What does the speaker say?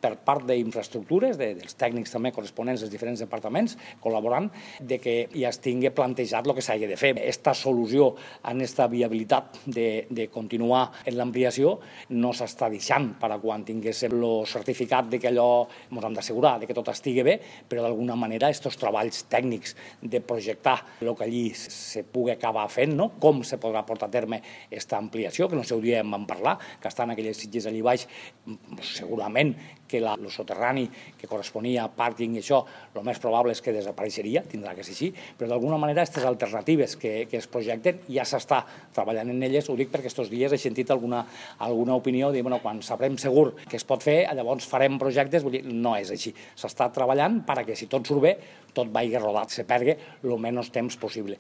per part d'infraestructures, dels tècnics també corresponents dels diferents departaments, col·laborant, de que ja es tingui plantejat el que s'hagi de fer. Esta solució en esta viabilitat de continuar en l'ampliació no s'està deixant per a quan tinguéssim el certificat de que allò ens hem d'assegurar, de que tot estigui bé, però d'alguna manera aquests treballs tècnics de projectar el que allí se pugui acabar fent, no? Com se podrà portar a terme aquesta ampliació, que en el seu dia en vam parlar, que estan aquelles sitges allà baix, segurament que el soterrani que corresponia a pàrquing i això, el més probable és que desapareixeria, tindrà que ser així, però d'alguna manera aquestes alternatives que es projecten ja s'està treballant en elles. Ho dic perquè aquests dies he sentit alguna opinió de quan sabrem segur que es pot fer, llavors farem projectes. Vull dir, no és així. S'està treballant perquè si tot surt bé, tot vagi rodat, se perdi el menys temps possible.